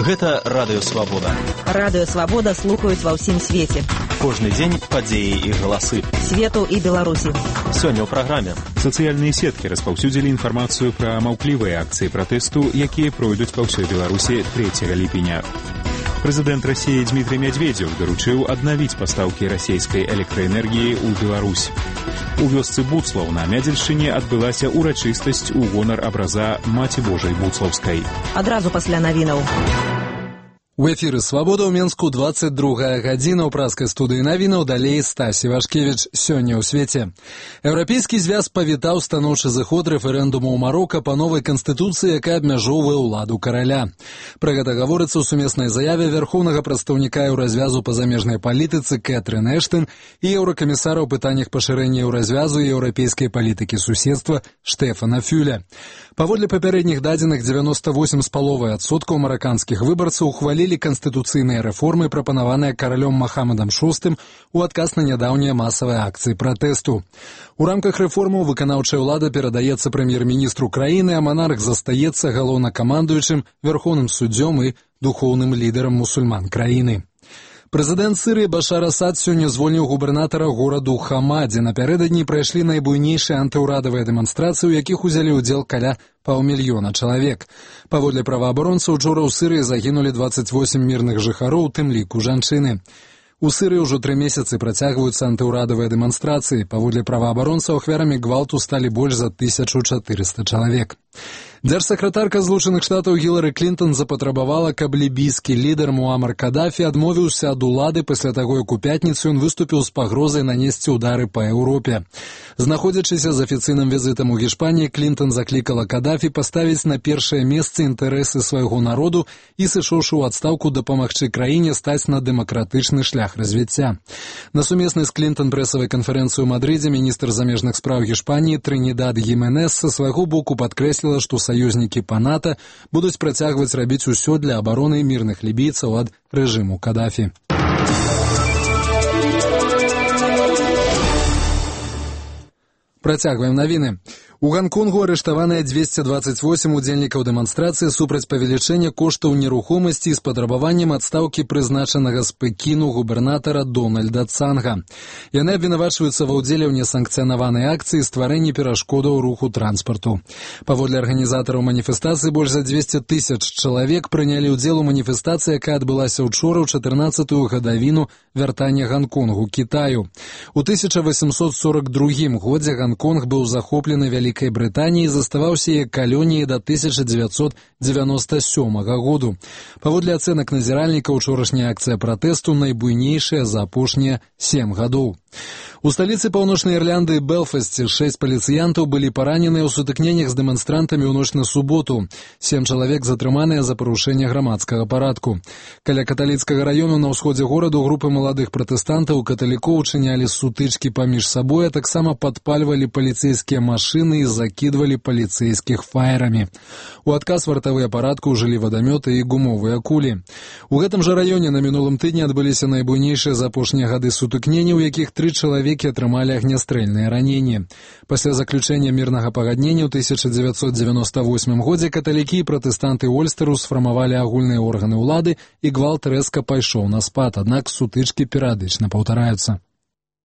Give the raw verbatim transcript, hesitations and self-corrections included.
Гэта Радыё Свабода. Радыё Свабода слухаюць ва ўсім свеце. Кожны дзень падзеі і галасы. Свету і Беларусі. Сёння ў праграме. Сацыяльныя сеткі распаўсюдзілі інфармацыю пра маўклівыя акцыі пратэсту, якія пройдуць па ўсёй Беларусі трэцяга ліпеня. Прэзідэнт Расіі Дмітрый Мядзведзеў даручыў аднавіць пастаўкі расійскай электраэнергіі ў Беларусь. У вёсцы Буцлаў на Мядзельшчыне адбылася ўрачыстасць у гонар абраза Маці Божай Буцлаўскай. Адразу пасля навінаў. У эфіры «Свабода» ў Менску двадцать другая гадзіна. У праскай студыі навінаў далей Стась Івашкевіч. Сёння ў свеце. Еўрапейскі звяз павітаў станоўчы зыход рэферэндуму ў Марока па новай канстытуцыі, якая абмяжоўвае ўладу караля. Пра гэта гаворыцца ў сумеснай заяве вярхоўнага прадстаўніка еўразвязу па замежнай палітыцы Кэтрын Эштон і еўракамісара ў пытаннях пашырэння еўразвязу і еўрапейскай палітыкі суседства Штэфана Фюля. Паводле папярэдніх дадзеных дзевяносто восемь з паловай адсоткаў мараканскіх выбарцаў ухвалілі канстытуцыйныя рэформы, прапанаваныя каралём Махамадам шостым у адказ на нядаўнія масавыя акцыі пратэсту. У рамках рэформаў выканаўчая ўлада перадаецца прэм'ер-міністру краіны, а манарх застаецца галоўнакамандуючым, вярхоўным суддзём і духоўным лідарам мусульман краіны. Прэзідэнт Сірыі Башар Асад сёння звольніў губернатара гораду Хама, дзе напярэдадні прайшлі найбуйнейшыя антыўрадавыя дэманстрацыі, у якіх узялі ўдзел каля паўмільёна чалавек. Паводле праваабаронцаў, учора ў Сірыі загінулі двадцать восемь мірных жыхароў, у тым ліку жанчыны. У Сірыі ўжо тры месяцы працягваюцца антыўрадавыя дэманстрацыі. Паводле праваабаронцаў, ахвярамі гвалту сталі больш за тысячу чатырыста чалавек. Дзяржсакратарка Злучаных Штатаў Гілары Клінтон запатрабавала, каб лібійскі лідар Муамар Кадафі адмовіўся ад улады пасля таго, як у пятніцу ён выступіў з пагрозай нанесці ўдары па Еўропе. Знаходзячыся з афіцыйным візітам у Гішпаніі, Клінтон заклікала Кадафі паставіць на першае месца інтарэсы свайго народу і, сышоўшы ў адстаўку, дапамагчы краіне стаць на дэмакратычны шлях развіцця. На сумеснай з Клінтон прэсавай канферэнцыі ў Мадрыдзе міністр замежных спраў Гішпаніі Трынідад Гіменес са свайго боку падкрэсліла, што саюзнікі па НАТО будуць працягваць рабіць усё для абароны мірных лібійцаў ад рэжыму Кадафі. Працягваем навіны. У Ганконгу арыштаваныя двести двадцать восемь удзельнікаў дэманстрацыі супраць павелічэння коштаў нерухомасці з патрабаваннем адстаўкі прызначанага з Пекіну губернатара Дональда Цанга. Яны абвінавачваюцца ва ўдзеле ў несанкцыянаванай акцыі стварэнні перашкодаў руху транспарту. Паводле арганізатараў маніфестацыі, больш за двести тысяч чалавек прынялі ўдзел у маніфестацыі, якая адбылася ўчора ў чатырнаццатую гадавіну вяртання Ганконгу Кітаю. У тысяча восемьсот сорок другім годзе Ганконг быў захоплены вялікай Брытаніі, заставаўся як калоніяй да тысяча дзевяцьсот дзевяносто сёмага году. Паводле ацэнак назіральніка, учорашняя акцыя пратэсту найбуйнейшая за апошнія сем гадоў. У сталіцы Паўночнай Ірландыі Белфасце шэсць паліцыянтаў былі параненыя ў сутыкненнях з дэманстрантамі ў ноч на суботу. Сем чалавек затрыманыя за парушэнне грамадскага парадку. Каля каталіцкага раёну на ўсходзе гораду групы маладых пратэстантаў каталікоў учынялі сутычкі паміж сабой, а таксама падпальвалі паліцэйскія машыны і закідвалі паліцэйскіх фаерамі. У адказ вартавыя парадку ўжылі вадамёты і гумовыя кулі. У гэтым жа раёне на мінулым тыдні адбыліся найбуйнейшыя за апошнія гады сутыкненні, у якіх тры чалавекі атрымалі агнястрэльныя раненні. Пасля заключэння мірнага пагаднення ў тысяча дзевяцьсот дзевяносто восьмым годзе каталікі і пратэстанты Ольстэру сфармавалі агульныя органы ўлады, і гвалт рэзка пайшоў на спад, аднак сутычкі перыядычна паўтараюцца.